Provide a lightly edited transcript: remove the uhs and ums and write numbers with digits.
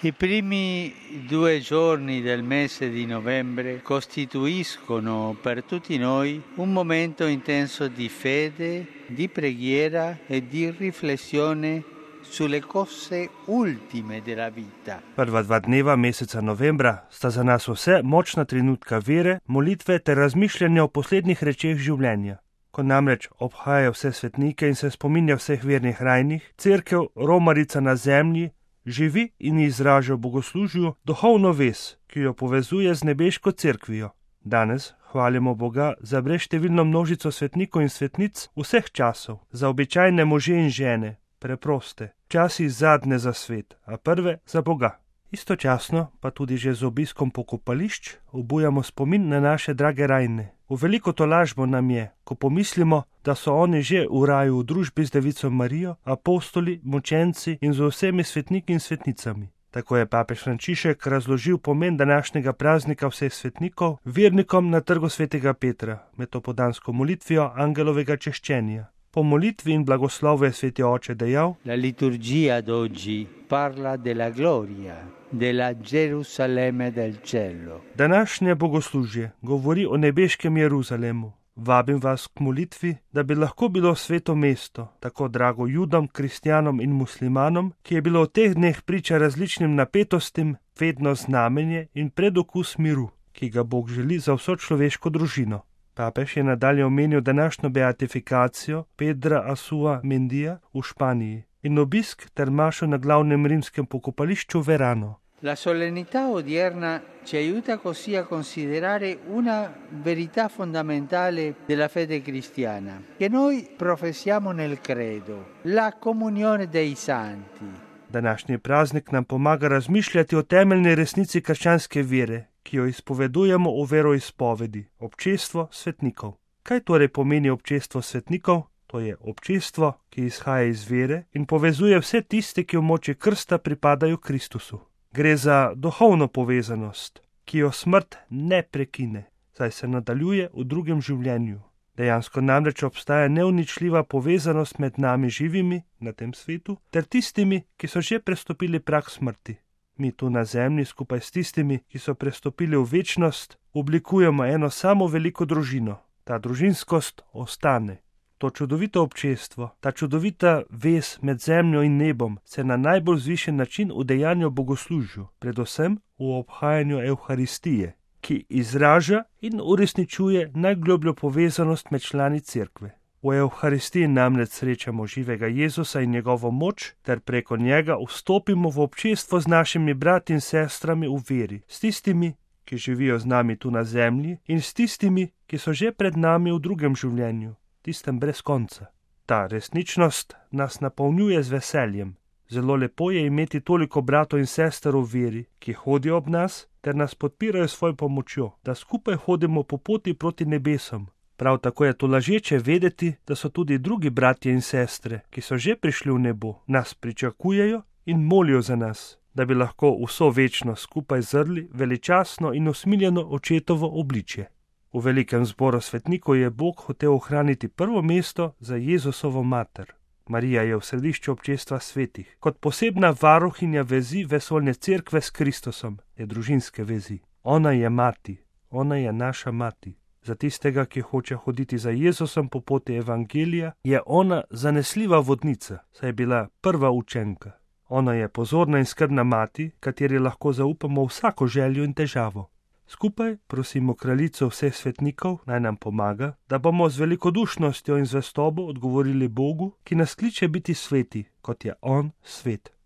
I primi 2 giorni del mese di novembre costituiscono per tutti noi un momento intenso di fede, di preghiera e di riflessione sulle cose ultime della vita. Prva 2 dneva meseca novembra sta za nas vse močna trenutka vere, molitve ter razmišljanja o poslednjih rečeh življenja. Ko namreč obhaja vse svetnike in se spominja vseh vernih rajnih, cerkev, romarica na zemlji, živi in izraža v bogoslužju duhovno vez, ki jo povezuje z nebeško cerkvijo. Danes hvalimo Boga za brezštevilno množico svetnikov in svetnic vseh časov, za običajne može in žene, preproste, včasih zadnje za svet, a prve za Boga. Istočasno pa tudi že z obiskom pokopališč obujamo spomin na naše drage rajne. V veliko tolažbo nam je, ko pomislimo, da so oni že v raju v družbi z Devico Marijo, apostoli, mučenci in z vsemi svetniki in svetnicami. Tako je papež Frančišek razložil pomen današnjega praznika vseh svetnikov vernikom na trgu svetega Petra med opodansko molitvijo angelovega češčenja. Po molitvi in blagoslovu je sveti oče dejal: La liturgia d'oggi parla della gloria della Gerusalemme del cielo. Današnje bogoslužje govori o nebeškem Jeruzalemu. Vabim vas k molitvi, da bi lahko bilo sveto mesto, tako drago Judom, kristjanom in muslimanom, ki je bilo v teh dneh priča različnim napetostim, vedno znamenje in predokus miru, ki ga Bog želi za vso človeško družino. Papež je nadalje omenil današnjo beatifikacijo Pedra Asua Mendija v Španiji in obisk ter mašo na glavnem rimskem pokopališču Verano. La solennità odierna ci aiuta così a considerare una verità fondamentale della fede cristiana, che noi professiamo nel credo, la comunione dei santi. Današnji praznik nam pomaga razmišljati o temeljni resnici krščanske vere, ki jo izpovedujemo v veroizpovedi, občestvo svetnikov. Kaj torej pomeni občestvo svetnikov? To je občestvo, ki izhaja iz vere in povezuje vse tiste, ki v moči krsta pripadajo Kristusu. Gre za duhovno povezanost, ki jo smrt ne prekine, saj se nadaljuje v drugem življenju. Dejansko namreč obstaja neuničljiva povezanost med nami živimi na tem svetu ter tistimi, ki so že prestopili prag smrti. Mi tu na zemlji skupaj s tistimi, ki so prestopili v večnost, oblikujemo eno samo veliko družino. Ta družinskost ostane. To čudovito občestvo, ta čudovita vez med zemljo in nebom se na najbolj zvišen način udejanja v bogoslužju, predvsem v obhajanju Evharistije, ki izraža in uresničuje najglobljo povezanost med člani cerkve. V Evharistiji namreč srečamo živega Jezusa in njegovo moč, ter preko njega vstopimo v občestvo z našimi brati in sestrami v veri, s tistimi, ki živijo z nami tu na zemlji, in s tistimi, ki so že pred nami v drugem življenju, tistem brez konca. Ta resničnost nas napolnjuje z veseljem. Zelo lepo je imeti toliko bratov in sester v veri, ki hodijo ob nas ter nas podpirajo svojo pomočjo, da skupaj hodimo po poti proti nebesom. Prav tako je to lažeče vedeti, da so tudi drugi bratje in sestre, ki so že prišli v nebo, nas pričakujejo in molijo za nas, da bi lahko vso večnost skupaj zrli veličastno in usmiljeno očetovo obličje. V velikem zboru svetnikov je Bog hotel ohraniti prvo mesto za Jezusovo mater. Marija je v središču občestva svetih, kot posebna varuhinja vezi vesoljne cerkve s Kristusom, je družinske vezi. Ona je mati, ona je naša mati. Za tistega, ki hoče hoditi za Jezusom po poti evangelija, je ona zanesljiva vodnica, saj je bila prva učenka. Ona je pozorna in skrbna mati, kateri lahko zaupamo vsako željo in težavo. Skupaj prosimo kraljico vseh svetnikov, naj nam pomaga, da bomo z velikodušnostjo in zvestobo odgovorili Bogu, ki nas kliče biti sveti, kot je On svet.